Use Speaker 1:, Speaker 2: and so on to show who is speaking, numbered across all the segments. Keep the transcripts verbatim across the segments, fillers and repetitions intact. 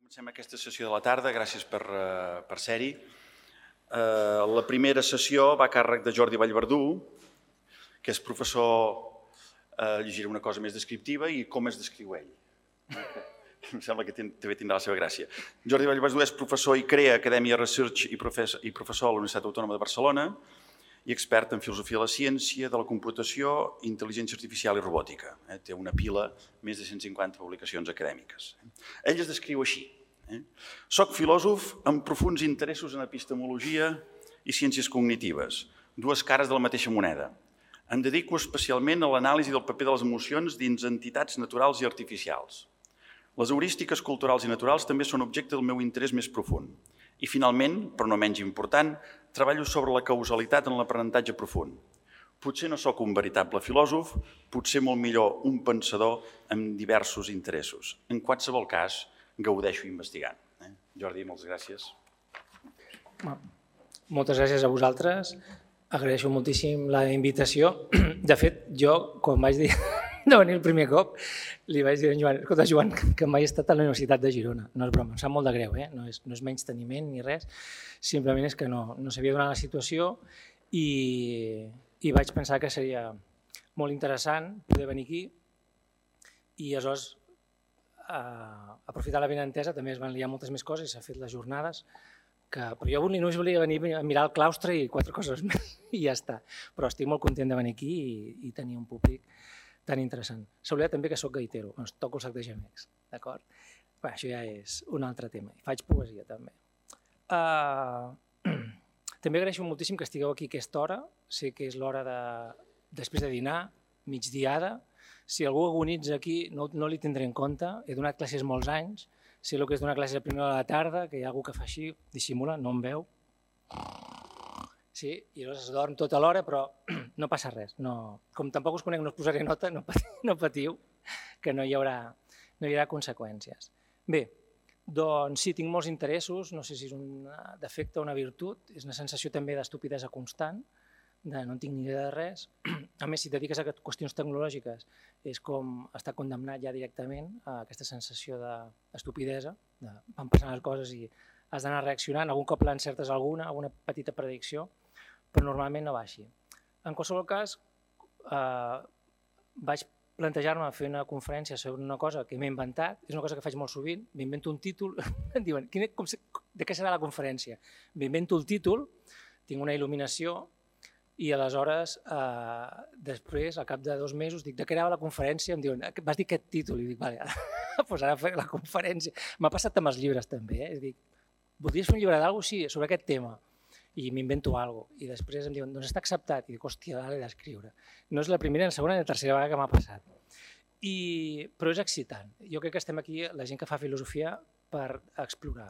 Speaker 1: Comencem aquesta sessió de la tarda, gràcies per, per ser-hi. La primera sessió va a càrrec de Jordi Vallverdú, que és professor, llegiré una cosa més descriptiva, i com es descriu ell. Em sembla que també tindrà la seva gràcia. Jordi Vallverdú és professor i crea Acadèmia Research i professor a la Universitat Autònoma de Barcelona i expert en filosofia de la ciència, de la computació, intel·ligència artificial i robòtica. Té una pila, més de cent cinquanta publicacions acadèmiques. Ell es descriu així. Soc filòsof amb profuns interessos en epistemologia i ciències cognitives, dues cares de la mateixa moneda. Em dedico especialment a l'anàlisi del paper de les emocions dins entitats naturals i artificials. Les heurístiques culturals i naturals també són objecte del meu interès més profund. I finalment, però no menys important, treballo sobre la causalitat en l'aprenentatge profund. Potser no sóc un veritable filòsof, potser molt millor un pensador amb diversos interessos. En qualsevol cas, gaudeixo investigant. Jordi, moltes gràcies.
Speaker 2: Moltes gràcies a vosaltres. Agraeixo moltíssim la invitació. De fet, jo, quan vaig dir de venir el primer cop, li vaig dir a en Joan, escolta, Joan, que mai he estat a la Universitat de Girona. No és broma, em sap molt de greu, eh? no, és, no és menys teniment ni res, simplement és que no, no sabia donar la situació i, i vaig pensar que seria molt interessant poder venir aquí i aleshores eh, aprofitar la benentesa, també es van liar moltes més coses i s'ha fet les jornades, que, però jo només volia venir a mirar el claustre i quatre coses més i ja està. Però estic molt content de venir aquí i, i tenir un públic tan interessant. S'ha oblidat també que soc gaitero, doncs toco el sac de gemecs, d'acord? Això ja és un altre tema. Faig poesia també. Uh, també agraeixo moltíssim que estigueu aquí a aquesta hora. Sé que és l'hora de, després de dinar, migdiada. Si algú agonitza aquí no, no li tindré en compte. He donat classes molts anys. Sé el que és donar classes a primera hora de la tarda, que hi ha algú que fa així, dissimula, no em veu. Sí, i llavors es dorm tota l'hora, però no passa res. No, com tampoc us conec, no us posaré nota, no patiu, no patiu que no hi, haurà, no hi haurà conseqüències. Bé, doncs sí, tinc molts interessos, no sé si és un defecte o una virtut, és una sensació també d'estupidesa constant, de no en tinc ni idea de res. A més, si et dediques a qüestions tecnològiques, és com estar condemnat ja directament a aquesta sensació d'estupidesa, de van passant les coses i has d'anar reaccionant, algun cop l'encertes alguna, alguna petita predicció, però normalment no va així. En qualsevol cas, eh, vaig plantejar-me fer una conferència sobre una cosa que m'he inventat, és una cosa que faig molt sovint, m'invento un títol, em diuen, com, de què serà la conferència? M'invento el títol, tinc una il·luminació i aleshores, eh, després, al cap de dos mesos, dic, de què era la conferència? Em diuen, vas dir aquest títol? I dic, vale, doncs ara faré la conferència. M'ha passat amb els llibres també, eh? Dic, voldries fer un llibre d'alguna cosa? Sí, sobre aquest tema. I m'invento alguna cosa. I després em diuen, doncs està acceptat. I dic, hòstia, l'he d'escriure. No és la primera, la segona i la tercera vegada que m'ha passat. I, però és excitant. Jo crec que estem aquí, la gent que fa filosofia, per explorar.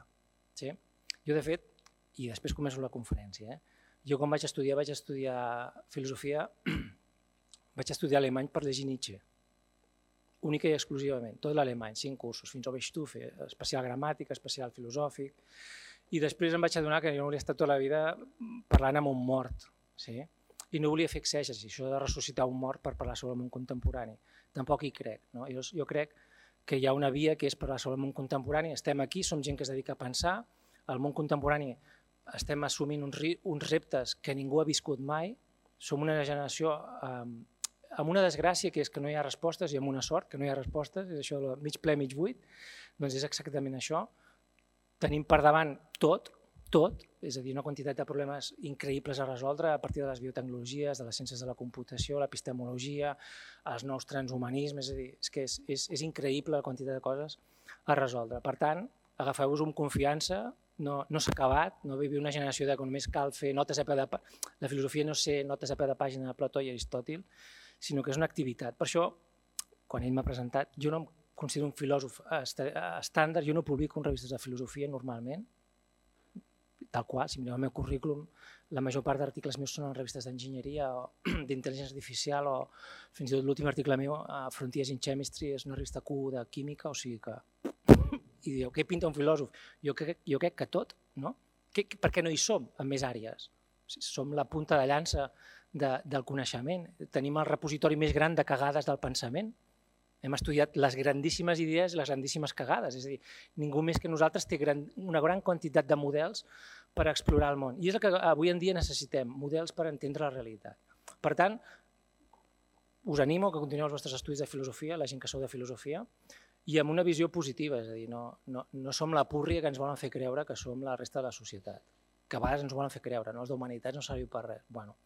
Speaker 2: Sí? Jo, de fet, i després començo la conferència, eh? Jo quan vaig estudiar, vaig estudiar filosofia, vaig estudiar alemany per llegir Nietzsche. Única i exclusivament, tot l'alemany, cinc cursos, fins al Weichstufe, especial gramàtica, especial filosòfic, i després em vaig adonar que jo no volia estar tota la vida parlant amb un mort, sí? I no volia fer exègesi, això de ressuscitar un mort per parlar sobre el món contemporani. Tampoc hi crec. No? Jo, jo crec que hi ha una via que és parlar sobre el món contemporani, estem aquí, som gent que es dedica a pensar, el món contemporani estem assumint uns, uns reptes que ningú ha viscut mai, som una generació eh, amb una desgràcia que és que no hi ha respostes i amb una sort que no hi ha respostes, és això de mig ple, mig buit, doncs és exactament això. Tenim per davant tot, tot, és a dir, una quantitat de problemes increïbles a resoldre a partir de les biotecnologies, de les ciències de la computació, l'epistemologia, els nous transhumanismes, és a dir, és que és, és, és increïble la quantitat de coses a resoldre. Per tant, agafeu-vos amb confiança, no, no s'ha acabat, no vivim una generació de que només cal fer notes a peu de pàgina, la filosofia no és ser notes a peu de pàgina de Plató i Aristòtil, sinó que és una activitat. Per això, quan ell m'ha presentat, jo no em considero un filòsof estàndard, jo no publico en revistes de filosofia normalment, tal qual, si mireu el meu currículum, la major part d'articles meus són en revistes d'enginyeria o d'intel·ligència artificial o fins i tot l'últim article meu, Frontiers in Chemistry, és una revista Q de química, o sigui que... I diu, què pinta un filòsof? Jo crec, jo crec que tot, no? Que, per què no hi som en més àrees? Som la punta de llança de, del coneixement, tenim el repositori més gran de cagades del pensament, Hem estudiat les grandíssimes idees i les grandíssimes cagades, és a dir, ningú més que nosaltres té gran, una gran quantitat de models per explorar el món. I és el que avui en dia necessitem, models per entendre la realitat. Per tant, us animo que continueu els vostres estudis de filosofia, la gent que sou de filosofia, i amb una visió positiva, és a dir, no, no, no som la púrria que ens volen fer creure que som la resta de la societat, que a vegades ens volen fer creure, no? Els d'humanitats no serviu per res. Bueno,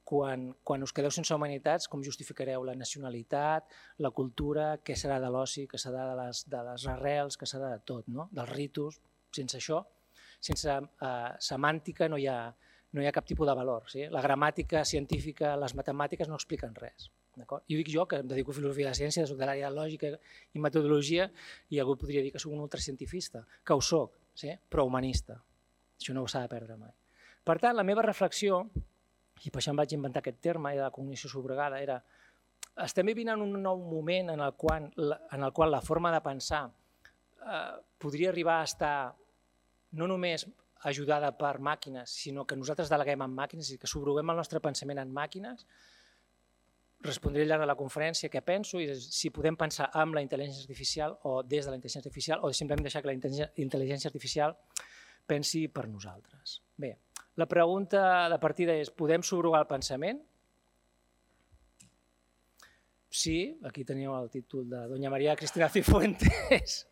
Speaker 2: quan, quan us quedeu sense humanitats, com justificareu la nacionalitat, la cultura, què serà de l'oci, què serà de les, de les arrels, què serà de tot, no? Dels ritus. Sense això, sense eh, semàntica no hi ha, no hi ha cap tipus de valor. Sí? La gramàtica científica, les matemàtiques no expliquen res. I ho dic jo, que em dedico a filosofia de la ciència, soc de l'àrea de lògica i metodologia, i algú podria dir que soc un ultracientifista, que ho soc, sí? Però humanista. Això no s'ha de perdre mai. Per tant, la meva reflexió, i per això em vaig inventar aquest terme de la cognició subrogada, era estem vivint en un nou moment en el qual, en el qual la forma de pensar eh, podria arribar a estar no només ajudada per màquines, sinó que nosaltres deleguem en màquines i que subroguem el nostre pensament en màquines. Respondré al llarg de la conferència què penso i si podem pensar amb la intel·ligència artificial o des de la intel·ligència artificial o simplement deixar que la intel·ligència artificial pensi per nosaltres. Bé, la pregunta de partida és, podem subrogar el pensament? Sí, aquí teniu el títol de doña María Cristina Cifuentes,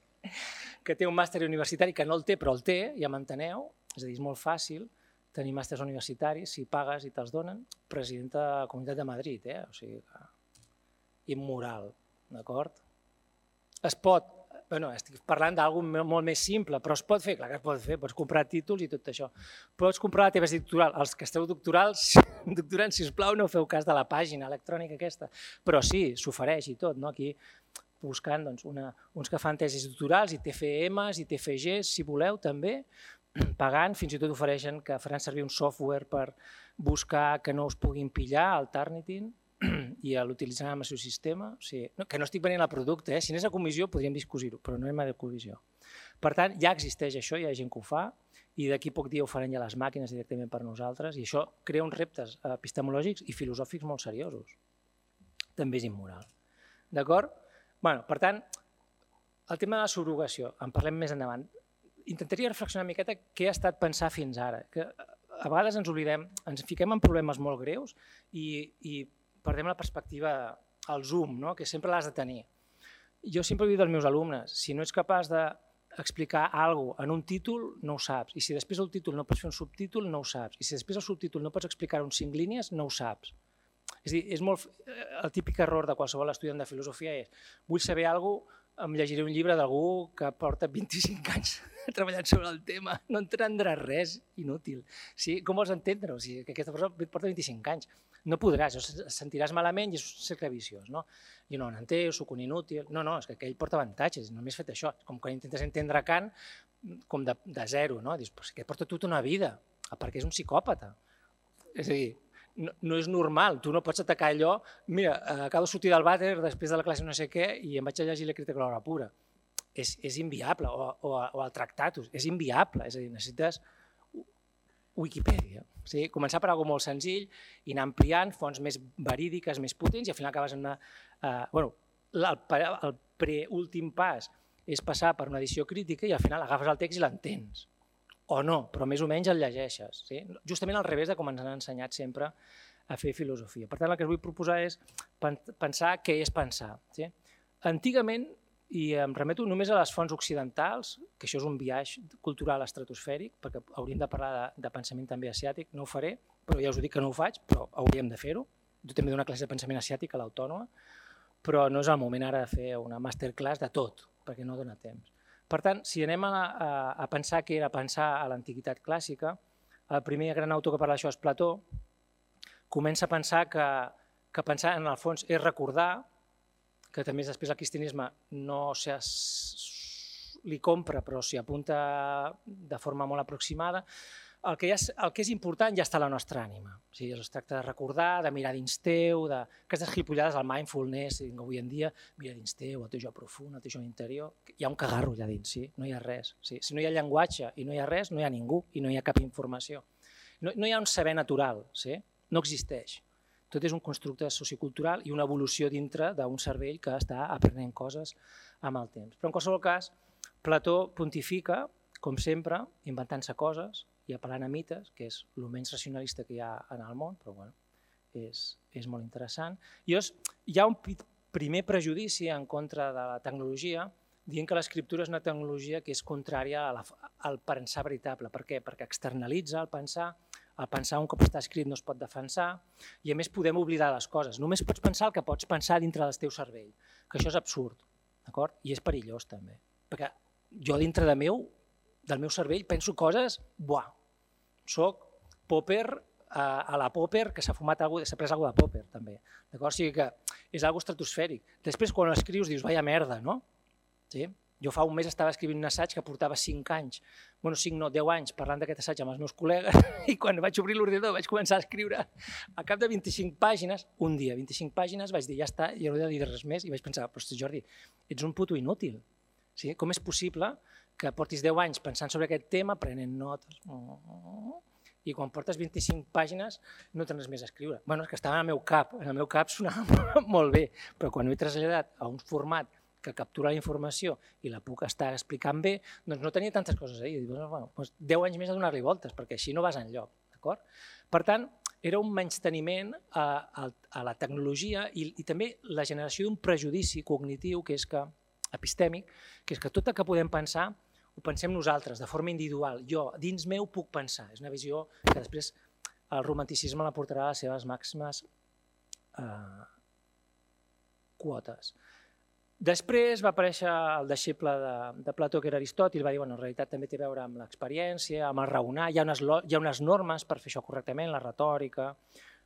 Speaker 2: que té un màster universitari, que no el té, però el té, ja m'enteneu, és a dir, és molt fàcil tenir màsters universitaris, si pagues i te'ls donen, presidenta de la Comunitat de Madrid, eh? O sigui, immoral, d'acord? Es pot, bueno, estic parlant d'alguna molt més simple, però es pot fer, clar que es pot fer, pots comprar títols i tot això. Pots comprar la teva tesi doctoral. Els que esteu doctorals, doctorants, sisplau, no feu cas de la pàgina electrònica aquesta, però sí, s'ofereix i tot, no? Aquí buscant doncs, una, uns que fan tesis doctorals i T F Ms i T F Gs, si voleu, també, pagant, fins i tot ofereixen que faran servir un software per buscar que no us puguin pillar, el Turnitin, i l'utilitzaran en el seu sistema. O sigui, no, que no estic venent el producte, eh? Si anés a comissió podríem discutir-ho, però no anem a comissió. Per tant, ja existeix això, hi ha gent que ho fa, i d'aquí poc dia ho faran ja les màquines directament per nosaltres, i això crea uns reptes epistemològics i filosòfics molt seriosos. També és immoral. D'acord? Bueno, per tant, el tema de la subrogació, en parlem més endavant. Intentaria reflexionar una miqueta què ha estat pensar fins ara, que a vegades ens oblidem, ens fiquem en problemes molt greus i, i perdem la perspectiva al zoom, no? Que sempre l'has de tenir. Jo sempre dic als meus alumnes, si no ets capaç d'explicar alguna cosa en un títol, no ho saps. I si després el títol no pots fer un subtítol, no ho saps. I si després el subtítol no pots explicar-ho en cinc línies, no ho saps. És a dir, és molt, el típic error de qualsevol estudiant de filosofia és vull saber alguna cosa, em llegiré un llibre d'algú que porta vint-i-cinc anys treballant sobre el tema, no entendràs res inútil. Sí, com vols entendre? O sigui, que aquesta persona porta vint-i-cinc anys. No podràs, et sentiràs malament i és un cercle viciós. No? Jo no n'entén, soc un inútil. No, no, és que aquell porta avantatges, només he fet això. Com quan intentes entendre Kant com de, de zero. No? Dius, però que porta tota una vida, perquè és un psicòpata. És a dir, no, no és normal, tu no pots atacar allò, mira, acabo de sortir del vàter després de la classe no sé què i em vaig a llegir la crítica de l'hora pura. És, és inviable, o, o, o el Tractatus, és inviable, és a dir, necessites Wikipedia. Sí? Començar per alguna molt senzill i anar ampliant fonts més verídiques, més potents i al final acabes en una... Eh, bueno, el, el preúltim pas és passar per una edició crítica i al final agafes el text i l'entens. O no, però més o menys el llegeixes. Sí? Justament al revés de com ens han ensenyat sempre a fer filosofia. Per tant, el que us vull proposar és pensar què és pensar. Sí? Antigament, i em remeto només a les fonts occidentals, que això és un viatge cultural estratosfèric, perquè hauríem de parlar de, de pensament també asiàtic, no ho faré, però ja us dic que no ho faig, però hauríem de fer-ho. Jo també dono una classe de pensament asiàtic a l'Autònoma, però no és el moment ara de fer una masterclass de tot, perquè no dona temps. Per tant, si anem a, a, a pensar què era pensar a l'antiguitat clàssica, el primer gran autor que parla d'això és Plató, comença a pensar que, que pensar en el fons és recordar, que també després el cristianisme no li compra però s'hi apunta de forma molt aproximada, el que, ja, el que és important ja està a la nostra ànima. O sigui, es tracta de recordar, de mirar dins teu, de... aquestes gilipollades del mindfulness, avui en dia, mira dins teu, el teu jo profund, el teu jo interior, hi ha un cagarro allà dins, sí? No hi ha res. Sí? Si no hi ha llenguatge i no hi ha res, no hi ha ningú i no hi ha cap informació. No, no hi ha un saber natural, sí? No existeix. Tot és un constructe sociocultural i una evolució dintre d'un cervell que està aprenent coses amb el temps. Però en qualsevol cas, Plató pontifica, com sempre, inventant-se coses i apel·lant a mites, que és el menys racionalista que hi ha en el món, però bueno, és, és molt interessant. I és, hi ha un primer prejudici en contra de la tecnologia, dient que l'escriptura és una tecnologia que és contrària a la, al pensar veritable. Per què? Perquè externalitza el pensar, el pensar un cop està escrit no es pot defensar i a més podem oblidar les coses. Només pots pensar el que pots pensar dintre del teu cervell, que això és absurd, d'acord? I és perillós també, perquè jo dintre de meu, del meu cervell penso coses, buah, soc Popper a, a la Popper que s'ha fumat alguna cosa, s'ha pres alguna cosa de Popper també, d'acord? O sigui que és algo estratosfèric. Després quan l'escrius dius, vaya merda, no? Sí? Jo fa un mes estava escrivint un assaig que portava cinc anys, bueno, cinc no, deu anys, parlant d'aquest assaig amb els meus col·legues i quan vaig obrir l'ordinador vaig començar a escriure a cap de vint-i-cinc pàgines, un dia, vint-i-cinc pàgines, vaig dir, ja està, i no he de dir res més, i vaig pensar, però Jordi, ets un puto inútil. Sí? Com és possible que portis deu anys pensant sobre aquest tema, prenent notes, i quan portes vint-i-cinc pàgines no tens més a escriure? Bueno, és que estava en el meu cap, en el meu cap sonava molt bé, però quan ho he traslladat a un format que captura la informació i la puc estar explicant bé, doncs no tenia tantes coses a dir. Bueno, doncs deu anys més a donar-li voltes, perquè així no vas enlloc. Per tant, era un menysteniment a, a, a la tecnologia i, i també la generació d'un prejudici cognitiu, que és que, epistèmic, que és que tot el que podem pensar ho pensem nosaltres, de forma individual. Jo, dins meu, puc pensar. És una visió que després el romanticisme la portarà a les seves màximes eh, quotes. Després va aparèixer el deixeble de, de Plató, que era Aristòtil, va dir, bueno, en realitat també té a veure amb l'experiència, amb el raonar, hi ha, unes, hi ha unes normes per fer això correctament, la retòrica,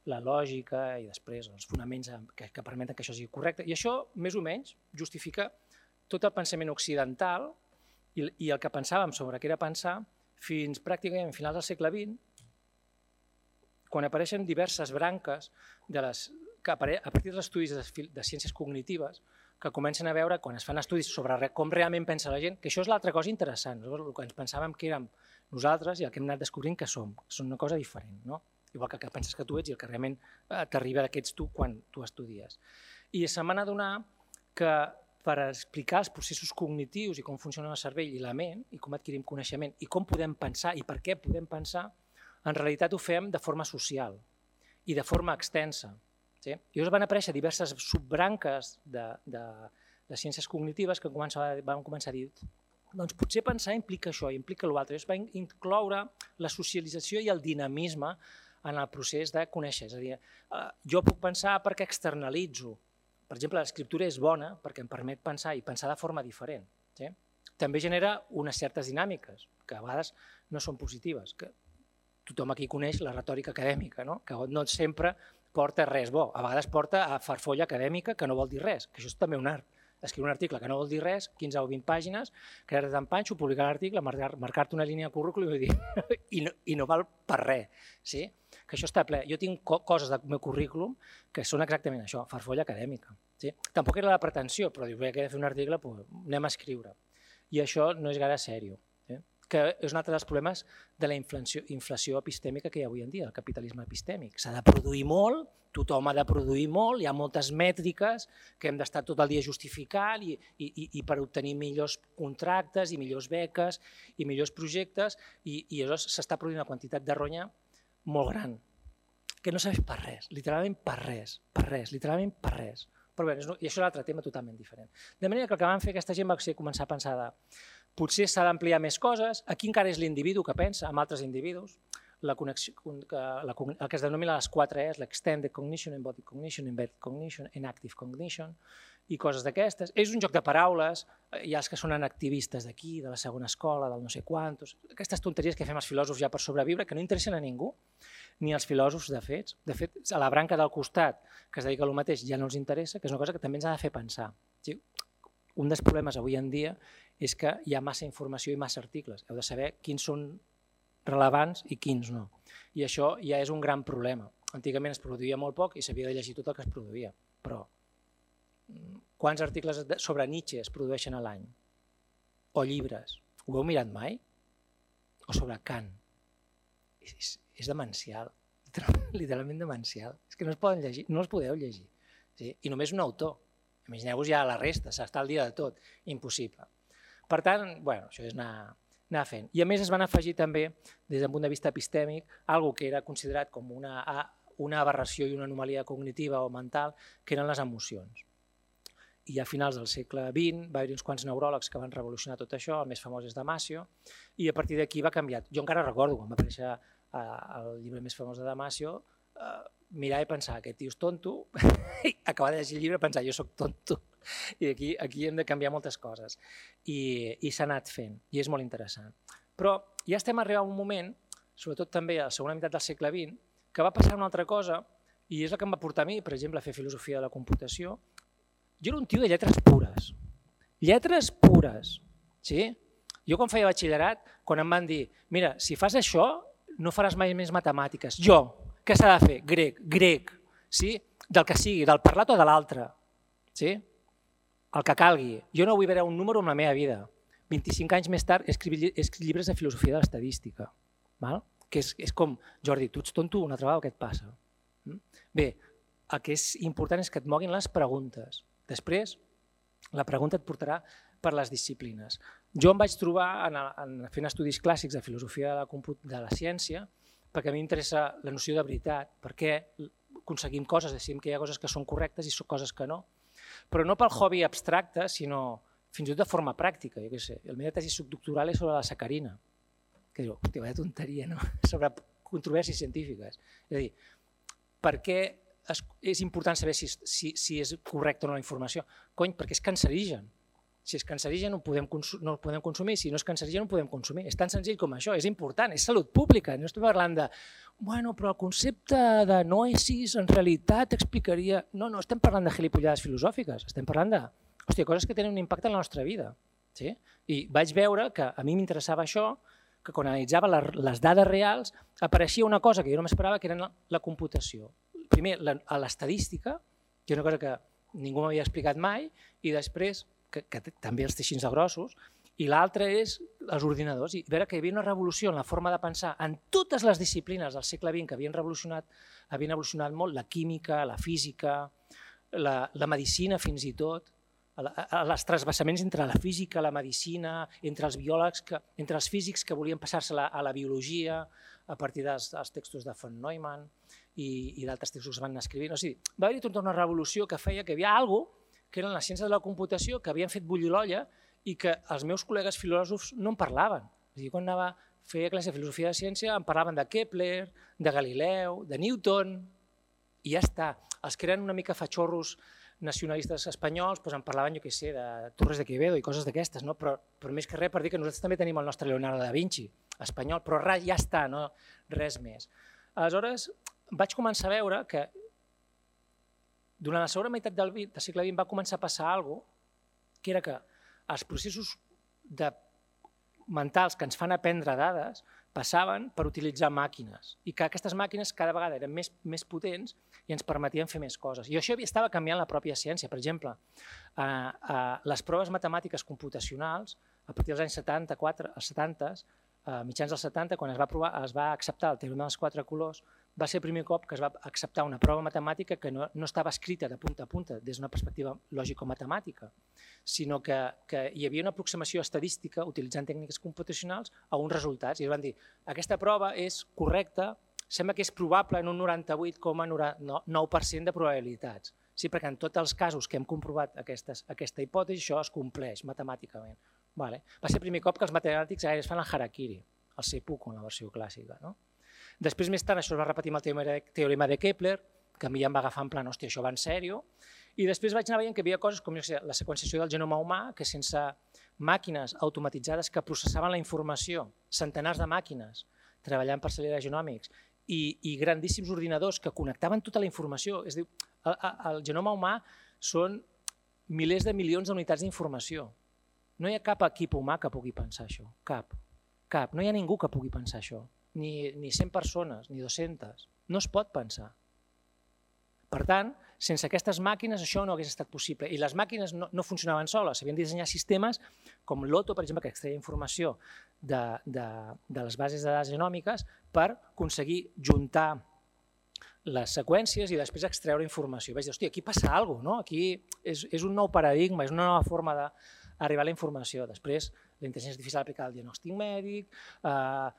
Speaker 2: la lògica i després els fonaments que, que permeten que això sigui correcte. I això, més o menys, justifica tot el pensament occidental i, i el que pensàvem sobre què era pensar fins pràcticament a finals del segle vint, quan apareixen diverses branques de les, que a partir dels estudis de, de ciències cognitives que comencen a veure, quan es fan estudis sobre com realment pensa la gent, que això és l'altra cosa interessant, el que ens pensàvem que érem nosaltres i el que hem anat descobrint que som, que són una cosa diferent, no? Igual que el que penses que tu ets i el que realment t'arriba d'aquests tu quan tu estudies. I se m'ha d'adonar que per explicar els processos cognitius i com funciona el cervell i la ment, i com adquirim coneixement, i com podem pensar i per què podem pensar, en realitat ho fem de forma social i de forma extensa. Sí? I llavors van aparèixer diverses subbranques de, de, de ciències cognitives que van començar a dir doncs potser pensar implica això, implica l'altre. Llavors va incloure la socialització i el dinamisme en el procés de conèixer. És a dir, jo puc pensar perquè externalitzo. Per exemple, l'escriptura és bona perquè em permet pensar i pensar de forma diferent. Sí? També genera unes certes dinàmiques que a vegades no són positives. Que tothom aquí coneix la retòrica acadèmica, no? Que no sempre porta res bo, a vegades porta a farfolla acadèmica que no vol dir res, que això és també un art. Escriure un article que no vol dir res, quinze o vint pàgines, quedar-te en panxo, publicar l'article, marcar-te una línia al currículum i dir i no, i no val per res. Sí? Que això està ple. Jo tinc coses del meu currículum que són exactament això, farfolla acadèmica. Sí? Tampoc era la pretensió, però dius, bé, que he de fer un article, doncs anem a escriure. I això no és gaire sèrio. Sí? Que és un altre dels problemes de la inflació, inflació epistèmica que hi ha avui en dia, el capitalisme epistèmic. S'ha de produir molt, tothom ha de produir molt, hi ha moltes mètriques que hem d'estar tot el dia justificant i, i, i per obtenir millors contractes i millors beques i millors projectes i, i llavors s'està produint una quantitat de ronya molt gran, que no serveix per res, literalment per res, per res, literalment per res. Però bé, i això és un altre tema totalment diferent. De manera que el que van fer aquesta gent va ser començar a pensar de potser s'ha d'ampliar més coses, aquí encara és l'individu que pensa amb altres individus, la connexió, la, el que es denomina les quatre E's, l'extended cognition, embodied cognition, embedded cognition, enactive cognition, i coses d'aquestes. És un joc de paraules, hi ha els que són activistes d'aquí, de la segona escola, del no sé quantos, aquestes tonteries que fem els filòsofs ja per sobreviure, que no interessen a ningú, ni als filòsofs de fets. De fet, a la branca del costat, que es dedica a lo mateix, ja no els interessa, que és una cosa que també ens ha de fer pensar. Sí? Un dels problemes avui en dia és que hi ha massa informació i massa articles. Heu de saber quins són relevants i quins no. I això ja és un gran problema. Antigament es produïa molt poc i s'havia de llegir tot el que es produïa. Però quants articles sobre Nietzsche es produeixen a l'any? O llibres? Ho heu mirat mai? O sobre Kant? És, és demencial. literalment demencial. És que no es poden llegir, no els podeu llegir. I només un autor. Imagineu-vos ja la resta, s'està al dia de tot. Impossible. Per tant, bueno, això és anar, anar fent. I a més es van afegir també, des d'un punt de vista epistèmic, algo que era considerat com una, una aberració i una anomalia cognitiva o mental, que eren les emocions. I a finals del segle vint va haver-hi uns quants neuròlegs que van revolucionar tot això, el més famós és Damasio, i a partir d'aquí va canviar. Jo encara recordo, quan va aparèixer el llibre més famós de Damasio, mirar i pensar, aquest tio és tonto, i acabar de llegir el llibre i pensar, jo soc tonto. I aquí, aquí hem de canviar moltes coses. I, i s'ha anat fent, i és molt interessant. Però ja estem arribant a un moment, sobretot també a la segona meitat del segle vint, que va passar una altra cosa, i és el que em va portar a mi, per exemple, a fer filosofia de la computació. Jo era un tio de lletres pures. Lletres pures. Sí? Jo quan feia batxillerat, quan em van dir, mira, si fas això, no faràs mai més matemàtiques. Jo, què s'ha de fer? Grec, grec, sí? Del que sigui, del parlat o de l'altre. Sí? El que calgui. Jo no vull veure un número en la meva vida. vint-i-cinc anys més tard he escrit llibres de filosofia de l'estadística. Que és, és com, Jordi, tu ets tonto, una altra vegada, què et passa? Bé, el que és important és que et moguin les preguntes. Després, la pregunta et portarà per les disciplines. Jo em vaig trobar en, en fent estudis clàssics de filosofia de la, de la ciència, perquè a mi m'interessa la noció de veritat, perquè aconseguim coses, decidim que hi ha coses que són correctes i són coses que no, però no pel hobby abstracte, sinó fins i tot de forma pràctica. Jo què sé, la meva tesi subdoctoral és sobre la sacarina, que diu, hòstia, vaya tonteria, no? Sobre controvèrsies científiques. És a dir, per què és important saber si, si, si és correcta o no la informació? Cony, perquè és cancerigen. Si és cancerigen no, podem no el podem consumir, si no és cancerigen no el podem consumir. És tan senzill com això, és important, és salut pública. No estem parlant de, bueno, però el concepte de noesis en realitat explicaria... No, no, estem parlant de gilipollades filosòfiques, estem parlant de hòstia, coses que tenen un impacte en la nostra vida. Sí? I vaig veure que a mi m'interessava això, que quan analitzava les dades reals apareixia una cosa que jo no m'esperava, que era la computació. Primer, a l'estadística, que és una cosa que ningú m'havia explicat mai, i després, que, que també els teixins de grossos, i l'altre és els ordinadors. I veure que hi havia una revolució en la forma de pensar en totes les disciplines del segle vint que havien revolucionat, havien evolucionat molt, la química, la física, la, la medicina fins i tot, els trasbassaments entre la física, la medicina, entre els biòlegs, que, entre els físics que volien passar-se a la biologia a partir dels, dels textos de von Neumann i, i d'altres textos que es van escrivint. O sigui, va haver-hi tota una revolució que feia que hi havia alguna cosa que eren les ciències de la computació que havien fet bullir l'olla i que els meus col·legues filòsofs no en parlaven. És a dir, quan anava a fer classe de filosofia de ciència em parlaven de Kepler, de Galileu, de Newton, i ja està. Els que eren una mica fatxorros nacionalistes espanyols doncs en parlaven, jo què sé, de Torres de Quevedo i coses d'aquestes, no? però, però més que res per dir que nosaltres també tenim el nostre Leonardo da Vinci, espanyol, però res, ja està, no? Res més. Aleshores, vaig començar a veure que durant la segona meitat del, del segle vint va començar a passar alguna cosa, que era que els processos de mentals que ens fan aprendre dades passaven per utilitzar màquines i que aquestes màquines cada vegada eren més, més potents i ens permetien fer més coses. I això estava canviant la pròpia ciència. Per exemple, eh, eh, les proves matemàtiques computacionals, a partir dels anys setanta-quatre, als setanta, eh, mitjans dels setanta, quan es va, provar, es va acceptar el teorema dels quatre colors, va ser el primer cop que es va acceptar una prova matemàtica que no, no estava escrita de punta a punta des d'una perspectiva lògico-matemàtica, sinó que, que hi havia una aproximació estadística utilitzant tècniques computacionals a uns resultats. I es van dir, aquesta prova és correcta, sembla que és probable en un noranta-vuit coma nou per cent de probabilitats. Sí, perquè en tots els casos que hem comprovat aquestes, aquesta hipòtesi, això es compleix matemàticament. Vale. Va ser el primer cop que els matemàtics es fan el harakiri, el seppuku en la versió clàssica. No? Després, més tard, això es va repetir amb el teorema de Kepler, que a mi ja em va agafar en plan, hòstia, això va en sèrio, i després vaig anar veient que hi havia coses com la seqüenciació del genoma humà, que sense màquines automatitzades que processaven la informació, centenars de màquines treballant per acelerar genòmics, i, i grandíssims ordinadors que connectaven tota la informació. És a dir, el, el genoma humà són milers de milions d'unitats d'informació. No hi ha cap equip humà que pugui pensar això, cap, cap. No hi ha ningú que pugui pensar això. Ni, ni cent persones, ni dues-centes. No es pot pensar. Per tant, sense aquestes màquines això no hagués estat possible. I les màquines no, no funcionaven soles. S'havien de dissenyar sistemes com l'Otto, per exemple, que extreia informació de, de, de les bases de dades genòmiques per aconseguir juntar les seqüències i després extreure informació. Vaig dir, hòstia, aquí passa alguna cosa, no? Aquí és, és un nou paradigma, és una nova forma d'arribar a la informació. Després, la intel·ligència artificial aplicada al diagnòstic mèdic, eh,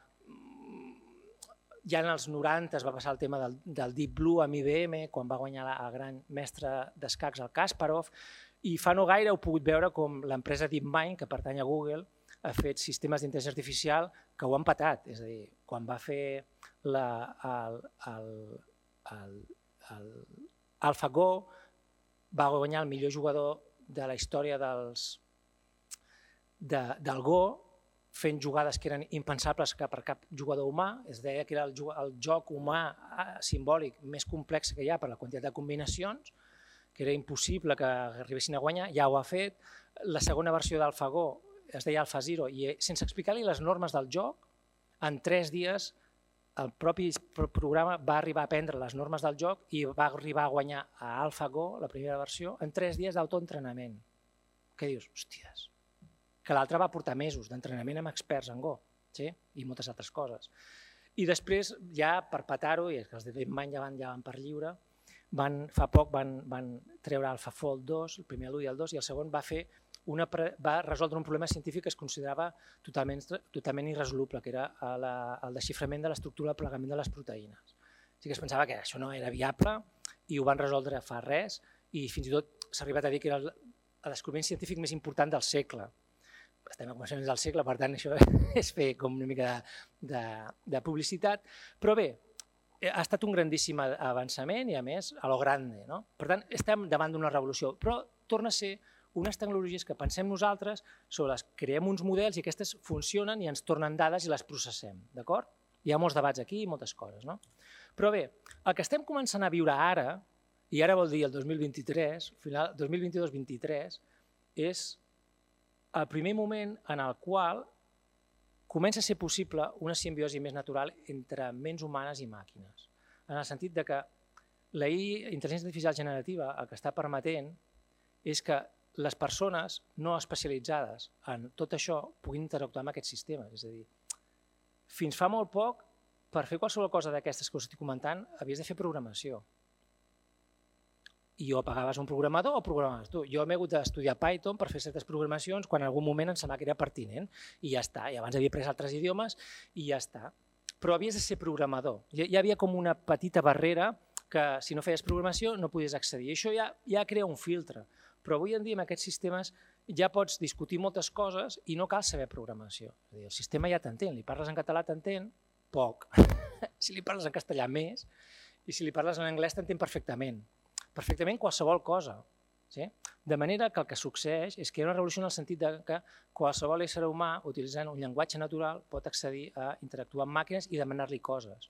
Speaker 2: ja en els noranta es va passar el tema del, del Deep Blue amb I B M, quan va guanyar el gran mestre d'escacs, el Kasparov, i fa no gaire heu pogut veure com l'empresa DeepMind, que pertany a Google, ha fet sistemes d'intel·ligència artificial que ho han patat. És a dir, quan va fer la, el, el, el, el AlphaGo, va guanyar el millor jugador de la història dels, de, del Go, fent jugades que eren impensables per cap jugador humà. Es deia que era el, el joc humà simbòlic més complex que hi ha per la quantitat de combinacions, que era impossible que arribessin a guanyar, ja ho ha fet. La segona versió d'AlphaGo es deia AlphaZero i sense explicar-li les normes del joc, en tres dies el propi programa va arribar a aprendre les normes del joc i va arribar a guanyar a AlphaGo, la primera versió, en tres dies d'autoentrenament. Què dius? Hòsties, que l'altre va portar mesos d'entrenament amb experts en Go, sí? I moltes altres coses. I després, ja per petar-ho, i els de DeepMind ja van, ja van per lliure, van, fa poc van, van treure AlphaFold dos, el primer l'u i el dos, i el segon va, fer una, va resoldre un problema científic que es considerava totalment, totalment irresoluble, que era la, el desxiframent de l'estructura del plegament de les proteïnes. O sigui que es pensava que això no era viable i ho van resoldre fa res, i fins i tot s'ha arribat a dir que era el, el descobriment científic més important del segle. Estem a començaments del segle, per tant, això és fer com una mica de, de, de publicitat. Però bé, ha estat un grandíssim avançament i, a més, a lo grande. No? Per tant, estem davant d'una revolució, però torna a ser unes tecnologies que pensem nosaltres, sobre les creem uns models i aquestes funcionen i ens tornen dades i les processem. D'acord? Hi ha molts debats aquí i moltes coses. No? Però bé, el que estem començant a viure ara, i ara vol dir el dos mil vint-i-tres, final dos mil vint-i-dos vint-i-tres, és el primer moment en el qual comença a ser possible una simbiosi més natural entre ments humanes i màquines. En el sentit de que la intel·ligència artificial generativa el que està permetent és que les persones no especialitzades en tot això puguin interactuar amb aquests sistemes. És a dir, fins fa molt poc, per fer qualsevol cosa d'aquestes que us estic comentant, havies de fer programació. I o pagaves un programador o programaves tu. Jo m'he hagut d'estudiar Python per fer certes programacions quan en algun moment em semblava que era pertinent i ja està. I abans havia après altres idiomes i ja està. Però havies de ser programador. Hi havia com una petita barrera que si no feies programació no podies accedir. I això ja, ja crea un filtre. Però avui en dia amb aquests sistemes ja pots discutir moltes coses i no cal saber programació. És a dir, el sistema ja t'entén. Li parles en català t'entén? Poc. Si li parles en castellà més i si li parles en anglès t'entén perfectament. Perfectament qualsevol cosa. Sí? De manera que el que succeeix és que hi ha una revolució en el sentit que qualsevol ésser humà, utilitzant un llenguatge natural, pot accedir a interactuar amb màquines i demanar-li coses,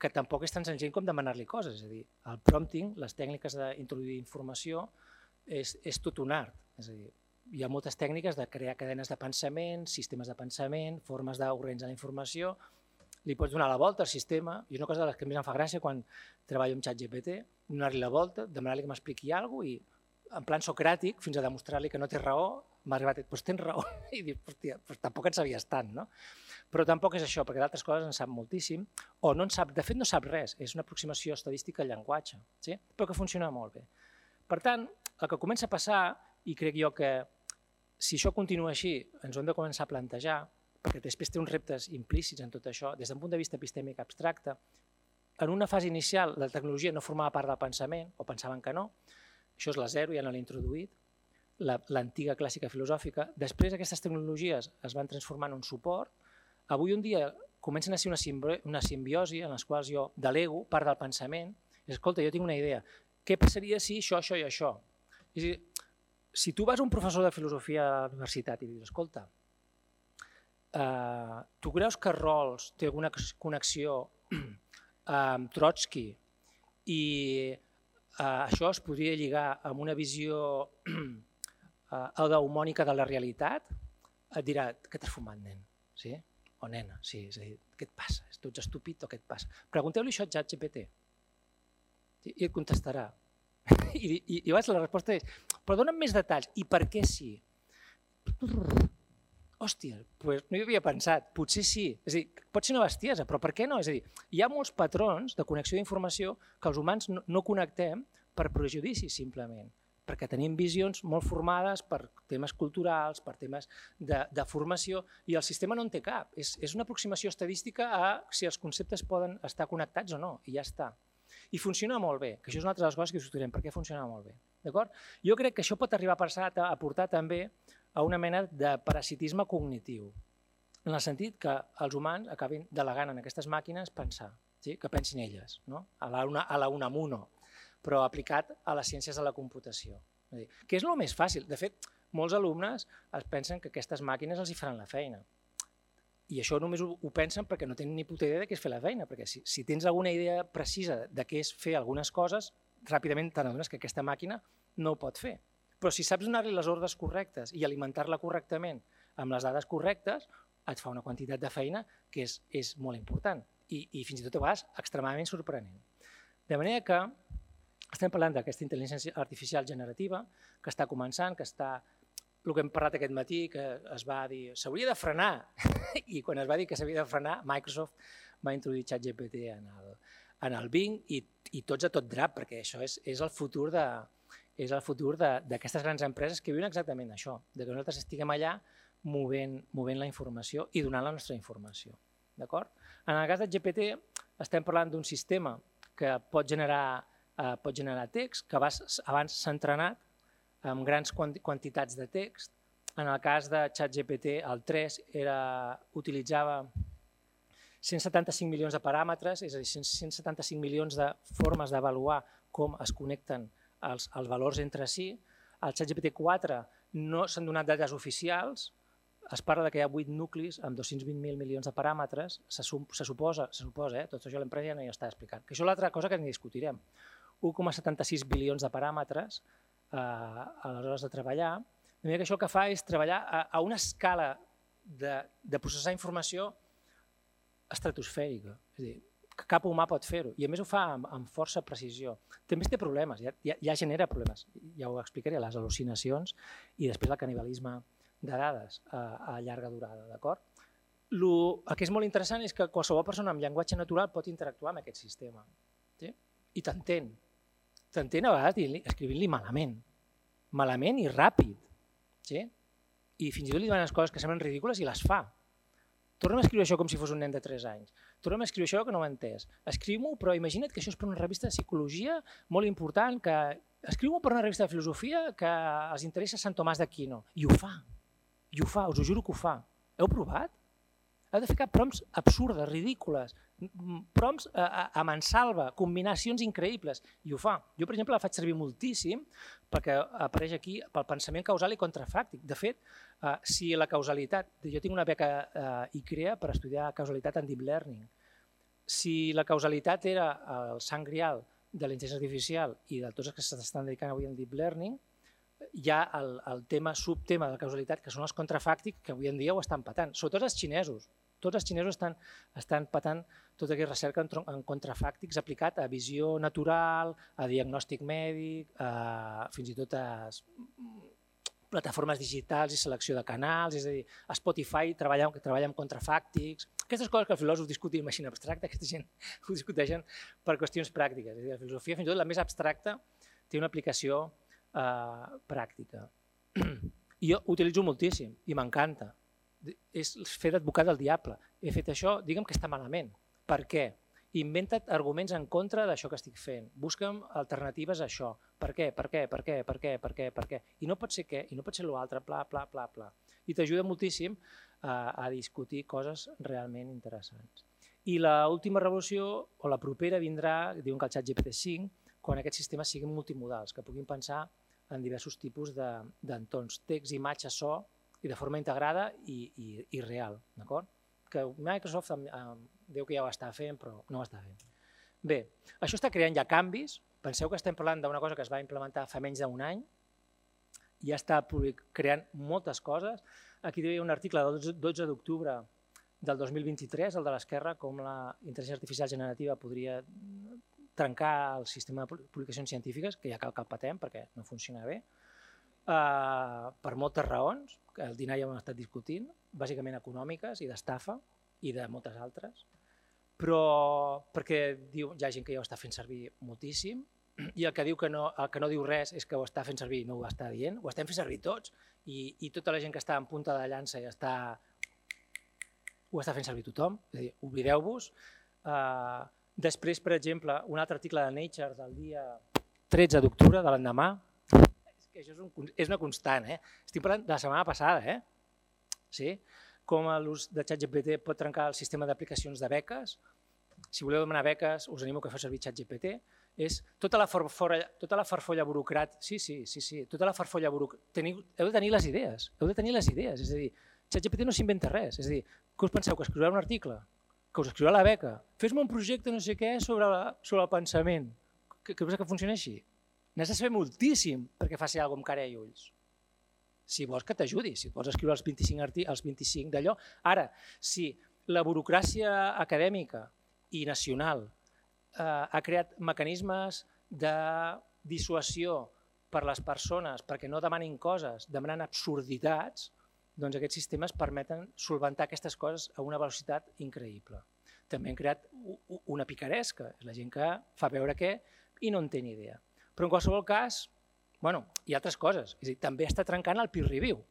Speaker 2: que tampoc és tan senzill com demanar-li coses. És a dir, el prompting, les tècniques d'introduir informació, és, és tot un art. És a dir, hi ha moltes tècniques de crear cadenes de pensament, sistemes de pensament, formes d'organitzar la informació. Li pots donar la volta al sistema, i una cosa de les que més em fa gràcia quan treballo amb ChatGPT, donar-li la volta, demanar-li que m'expliqui alguna cosa i en plan socràtic, fins a demostrar-li que no té raó, m'ha arribat a dir, doncs tens raó, i dic, hòstia, doncs tampoc en sabies tant, no? Però tampoc és això, perquè d'altres coses en sap moltíssim, o no en sap, de fet no sap res, és una aproximació estadística al llenguatge, sí? Però que funciona molt bé. Per tant, el que comença a passar, i crec jo que si això continua així, ens ho hem de començar a plantejar, perquè després té uns reptes implícits en tot això, des d'un punt de vista epistèmic abstracte. En una fase inicial la tecnologia no formava part del pensament, o pensaven que no, això és la zero, ja no l'he introduït, l'antiga clàssica filosòfica. Després aquestes tecnologies es van transformar en un suport, avui un dia comencen a ser una simbiosi en les quals jo delego part del pensament, i escolta, jo tinc una idea, què passaria si això, això i això? És a dir, si tu vas a un professor de filosofia a la universitat i dius, escolta, Uh, tu creus que Rawls té alguna connexió amb Trotsky i uh, això es podria lligar amb una visió uh, eudemònica de la realitat? Et dirà, què t'has fumat, nen? Sí? O nena, sí, és a dir, què et passa? Tu ets estúpid o què et passa? Pregunteu-li això a ChatGPT i et contestarà. I, i, i la resposta és, però dona'm més detalls. I per què sí? hòstia, pues no hi havia pensat, potser sí. És a dir, pot ser una bestiesa, però per què no? És a dir, hi ha molts patrons de connexió d'informació que els humans no, no connectem per prejudicis, simplement, perquè tenim visions molt formades per temes culturals, per temes de, de formació, i el sistema no en té cap. És, és una aproximació estadística a si els conceptes poden estar connectats o no, i ja està. I funciona molt bé, que això és una altra de les coses que discutirem, per què funciona molt bé. Jo crec que això pot arribar a portar també a una mena de parasitisme cognitiu, en el sentit que els humans acabin delegant en aquestes màquines pensar, sí? Que pensin elles, no? a la, una, a la Unamuno, però aplicat a les ciències de la computació. És dir, que és el més fàcil. De fet, molts alumnes es pensen que aquestes màquines els hi faran la feina. I això només ho, ho pensen perquè no tenen ni puta idea de què és fer la feina, perquè si, si tens alguna idea precisa de què és fer algunes coses, ràpidament t'adones que aquesta màquina no ho pot fer. Però si saps donar-li les ordres correctes i alimentar-la correctament amb les dades correctes, et fa una quantitat de feina que és, és molt important i, i fins i tot a vegades extremadament sorprenent. De manera que estem parlant d'aquesta intel·ligència artificial generativa que està començant, que està, el que hem parlat aquest matí, que es va dir s'hauria de frenar, i quan es va dir que s'havia de frenar, Microsoft va introduir ChatGPT en el, en el Bing i, i tots a tot drap, perquè això és, és el futur de és el futur d'aquestes grans empreses que viuen exactament això, de que nosaltres estiguem allà movent, movent la informació i donant la nostra informació. En el cas de G P T estem parlant d'un sistema que pot generar, eh, pot generar text, que abans s'ha entrenat amb grans quantitats de text. En el cas de ChatGPT, el tres era, utilitzava cent setanta-cinc milions de paràmetres, és a dir, cent setanta-cinc milions de formes d'avaluar com es connecten els, els valors entre si. Al ChatGPT quatre no s'han donat dades oficials, es parla que hi ha vuit nuclis amb dos-cents vint mil milions de paràmetres, se, se suposa, se suposa eh? Tot això l'empresa ja no hi està explicant. Que això és l'altra cosa que ni discutirem. un coma setanta-sis bilions de paràmetres eh, a les hores de treballar. De manera que això el que fa és treballar a, a una escala de, de processar informació estratosfèrica. És a dir, que cap humà pot fer-ho, i a més ho fa amb, amb força precisió. També té problemes, ja, ja, ja genera problemes, ja ho explicaré, les al·lucinacions i després el canibalisme de dades a, a llarga durada, d'acord? El que és molt interessant és que qualsevol persona amb llenguatge natural pot interactuar amb aquest sistema, sí? I t'entén, t'entén a vegades escrivint-li malament, malament i ràpid, sí? I fins i tot li donen coses que semblen ridícules i les fa. Torna'm a escriure això com si fos un nen de tres anys. Torna'm a escriure això que no ho he entès. Escriu-m'ho, però imagina't que això és per una revista de psicologia molt important, que escriu-m'ho per una revista de filosofia que els interessa Sant Tomàs d'Aquino. I ho fa, i ho fa, us ho juro que ho fa. Heu provat? Heu de ficar prompts absurdes, ridícules, prompts a, a mansalva, combinacions increïbles, i ho fa. Jo, per exemple, la faig servir moltíssim perquè apareix aquí pel pensament causal i contrafàctic. De fet, eh, si la causalitat... Jo tinc una beca eh, I C R E A per estudiar causalitat en Deep Learning. Si la causalitat era el sant grial de la intel·ligència artificial i de tots els que s'estan dedicant avui en Deep Learning, hi ha el, el tema, subtema de la causalitat, que són els contrafàctics, que avui en dia ho estan patant, sobretot els xinesos. Tots els xinesos estan, estan patant tota aquesta recerca en, en contrafàctics aplicat a visió natural, a diagnòstic mèdic, a, fins i tot a plataformes digitals i selecció de canals, és a dir, a Spotify treballa, treballa amb contrafàctics. Aquestes coses que els filòsofs discutim així en abstracte, aquesta gent ho discuteixen per qüestions pràctiques. És a dir, la filosofia, fins i tot la més abstracta, té una aplicació eh, pràctica. I jo ho utilitzo moltíssim i m'encanta. És fer d'advocat del diable. He fet això, digue'm que està malament. Per què? Inventa't arguments en contra d'això que estic fent. Busca'm alternatives a això. Per què? Per què? Per què? Per què? Per què? Per què? I no pot ser què? I no pot ser l'altre, pla, pla, pla, pla. I t'ajuda moltíssim a, a discutir coses realment interessants. I l'última revolució, o la propera, vindrà, diuen que el ChatGPT cinc, quan aquests sistemes siguin multimodals, que puguin pensar en diversos tipus d'entorns, text, imatge, so, i de forma integrada i, i, i real, d'acord? Que Microsoft eh, diu que ja ho està fent, però no ho està fent. Bé, això està creant ja canvis. Penseu que estem parlant d'una cosa que es va implementar fa menys d'un any, ja està creant moltes coses. Aquí hi havia un article del dotze d'octubre del dos mil vint-i-tres, el de l'Esquerra, com la intel·ligència artificial generativa podria trencar el sistema de publicacions científiques, que ja cal que el patem perquè no funciona bé. per moltes raons, que al dinar ja ho hem estat discutint, bàsicament econòmiques i d'estafa i de moltes altres, però perquè hi ha gent que ja ho està fent servir moltíssim i el que diu que no, el que no diu res és que ho està fent servir, no ho està dient, ho estem fent servir tots i, i tota la gent que està en punta de llança i està, ho està fent servir tothom, és a dir, oblideu-vos. Uh, després, per exemple, un altre article de Nature del dia tretze d'octubre, de l'endemà, és que això és, un, és una constant, eh? Estic parlant de la setmana passada, eh? Sí? Com l'ús de ChatGPT pot trencar el sistema d'aplicacions de beques. Si voleu demanar beques, us animo que feu servir ChatGPT. És tota la farfolla, tota la farfolla burocràtica, sí, sí, sí, sí, tota la farfolla burocràtica, heu de tenir les idees, heu de tenir les idees, és a dir, ChatGPT no s'inventa res, és a dir, què us penseu, que escriureu un article, que us escriurà la beca, fes-me un projecte no sé què sobre, la, sobre el pensament, que, que, que funciona així? N'has de saber moltíssim perquè faci alguna cosa amb cara i ulls. Si vols que t'ajudi, si vols escriure els vint-i-cinc, els vint-i-cinc d'allò. Ara, si la burocràcia acadèmica i nacional eh, ha creat mecanismes de dissuasió per les persones perquè no demanin coses, demanant absurditats, doncs aquests sistemes permeten solventar aquestes coses a una velocitat increïble. També han creat una picaresca, és la gent que fa veure què i no en té ni idea. Però en qualsevol cas, bueno, hi ha altres coses. És a dir, també està trencant el peer review.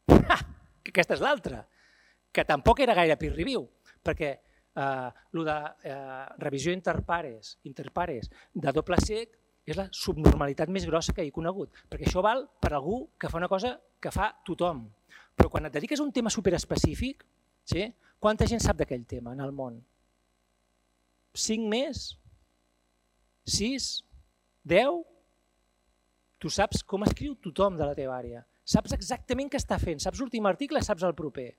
Speaker 2: Ha! Que aquesta és l'altra, que tampoc era gaire peer review, perquè eh, lo de eh, revisió interpares, interpares de doble cec és la subnormalitat més grossa que he conegut, perquè això val per algú que fa una cosa que fa tothom. Però quan et dediques a un tema superespecífic, sí? Quanta gent sap d'aquell tema en el món? Cinc més? Sis? Deu? Tu saps com escriu tothom de la teva àrea. Saps exactament què està fent, saps l'últim article, saps el proper.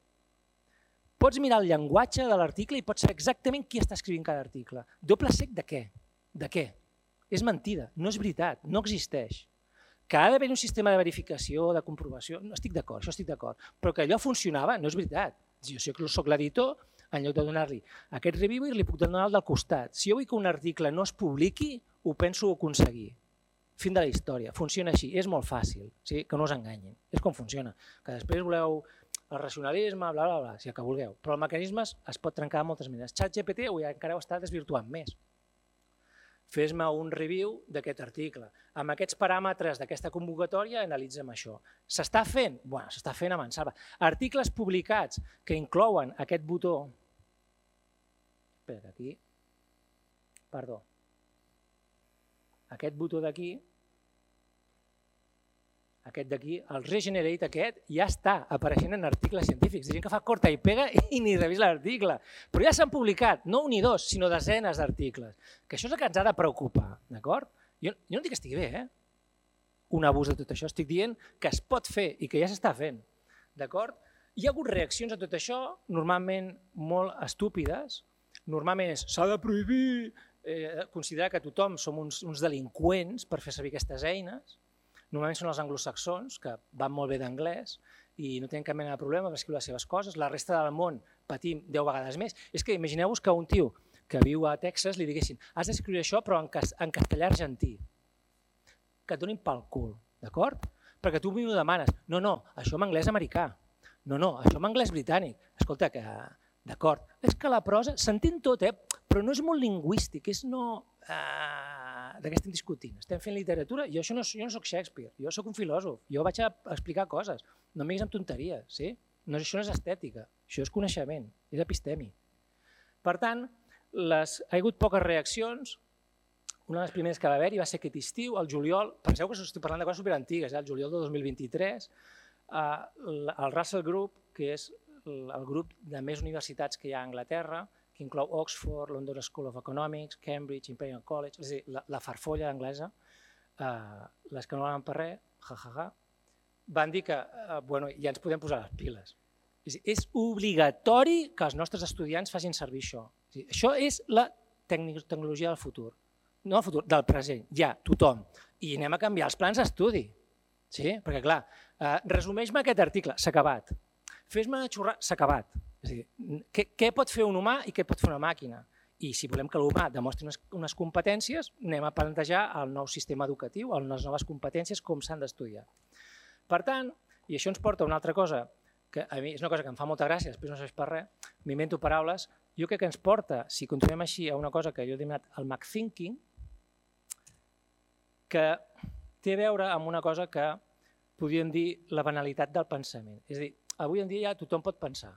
Speaker 2: Pots mirar el llenguatge de l'article i pots saber exactament qui està escrivint cada article. Doble cec de què? De què? És mentida, no és veritat, no existeix. Que ha d'haver un sistema de verificació, de comprovació, no estic d'acord, això estic d'acord, però que allò funcionava no és veritat. Jo soc l'editor, en lloc de donar-li aquest review li puc donar el del costat. Si jo vull que un article no es publiqui, ho penso aconseguir. Fin de la història, funciona així, és molt fàcil, sí? Que no us enganyin, és com funciona. Que després voleu el racionalisme, bla, bla, bla, si el que vulgueu, però el mecanisme es pot trencar de moltes maneres. ChatGPT encara ho està desvirtuant més. Fes-me un review d'aquest article. Amb aquests paràmetres d'aquesta convocatòria analitzem això. S'està fent? Bueno, s'està fent a mansalva. Articles publicats que inclouen aquest botó... Espera, que aquí... Perdó. Aquest botó d'aquí, aquest d'aquí, el Regenerate aquest, ja està apareixent en articles científics. Hi ha gent que fa corta i pega i ni revisa l'article. Però ja s'han publicat, no un i dos, sinó desenes d'articles. Que això és el que ens ha de preocupar, d'acord? Jo, jo no dic que estigui bé, eh? Un abús de tot això. Estic dient que es pot fer i que ja s'està fent, d'acord? Hi ha hagut reaccions a tot això, normalment molt estúpides. Normalment és, s'ha de prohibir, eh, considerar que tothom som uns, uns delinqüents per fer servir aquestes eines. Normalment són els anglosaxons, que van molt bé d'anglès i no tenen cap mena de problema per escriure les seves coses. La resta del món patim deu vegades més. És que imagineu-vos que un tio que viu a Texas li diguessin has d'escriure això però en, cas, en castellà argentí. Que et donin pel cul, d'acord? Perquè tu m'ho demanes. No, no, això en anglès americà. No, no, això en anglès britànic. Escolta, que d'acord. És que la prosa, s'entén tot, eh? Però no és molt lingüístic, és no... Uh, de què estem discutint? Estem fent literatura? Jo, això no, jo no soc Shakespeare, jo soc un filòsof, jo vaig a explicar coses, no em diguis amb tonteries, sí? No, això no és estètica, això és coneixement, és epistèmic. Per tant, les, ha hagut poques reaccions, una de les primeres que va haver-hi va ser aquest estiu, el juliol, penseu que estic parlant de coses superantigues, eh? El juliol de dos mil vint-i-tres, uh, el Russell Group, que és el grup de més universitats que hi ha a Anglaterra, que inclou Oxford, London School of Economics, Cambridge, Imperial College, és a dir, la, la farfolla anglesa, eh, les que no van per res, ja, ja, ja, van dir que eh, bueno, ja ens podem posar les piles. És, dir, és obligatori que els nostres estudiants facin servir això. És dir, això és la tecnologia del futur, no del futur, del present, ja, tothom. I anem a canviar els plans d'estudi, sí? Perquè clar, eh, resumeix-me aquest article, s'ha acabat. Fes-me xurrar, s'ha acabat. És a dir, què, què pot fer un humà i què pot fer una màquina? I si volem que l'humà demostri unes, unes competències, anem a plantejar el nou sistema educatiu, les noves competències, com s'han d'estudiar. Per tant, i això ens porta a una altra cosa, que a mi és una cosa que em fa molta gràcia, després no serveix per res, m'invento paraules, jo crec que ens porta, si continuem així, a una cosa que jo he denominat el McThinking, que té a veure amb una cosa que podríem dir la banalitat del pensament. És a dir, avui en dia ja tothom pot pensar,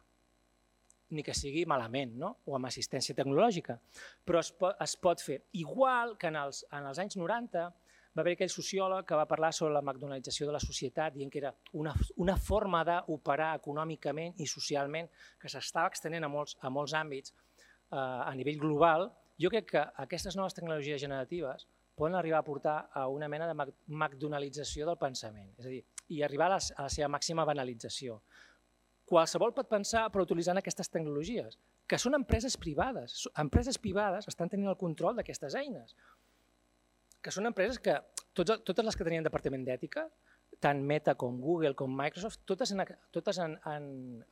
Speaker 2: ni que sigui malament, no? O amb assistència tecnològica, però es pot, es pot fer. Igual que en els, en els anys noranta va haver aquell sociòleg que va parlar sobre la McDonaldització de la societat, dient que era una, una forma d'operar econòmicament i socialment que s'estava extenent a molts, a molts àmbits eh, a nivell global. Jo crec que aquestes noves tecnologies generatives poden arribar a portar a una mena de McDonaldització del pensament, és a dir, i arribar a la, a la seva màxima banalització. Qualsevol pot pensar però utilitzant aquestes tecnologies, que són empreses privades. Empreses privades estan tenint el control d'aquestes eines, que són empreses que, tots, totes les que tenien departament d'ètica, tant Meta com Google com Microsoft, totes han, totes han, han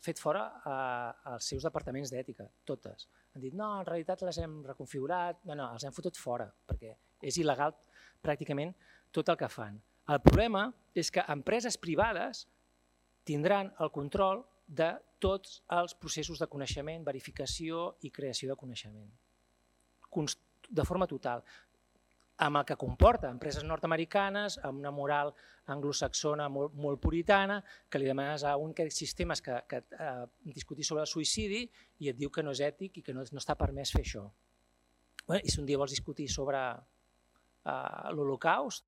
Speaker 2: fet fora eh, els seus departaments d'ètica, totes. Han dit, no, en realitat les hem reconfigurat, no, no, els hem fotut fora, perquè és il·legal pràcticament tot el que fan. El problema és que empreses privades tindran el control de tots els processos de coneixement, verificació i creació de coneixement, de forma total, amb el que comporta empreses nord-americanes, amb una moral anglosaxona molt, molt puritana, que li demanes a un d'aquests sistemes que, que eh, discutir sobre el suïcidi i et diu que no és ètic i que no, no està permès fer això. Bueno, i si un dia vols discutir sobre eh, l'Holocaust,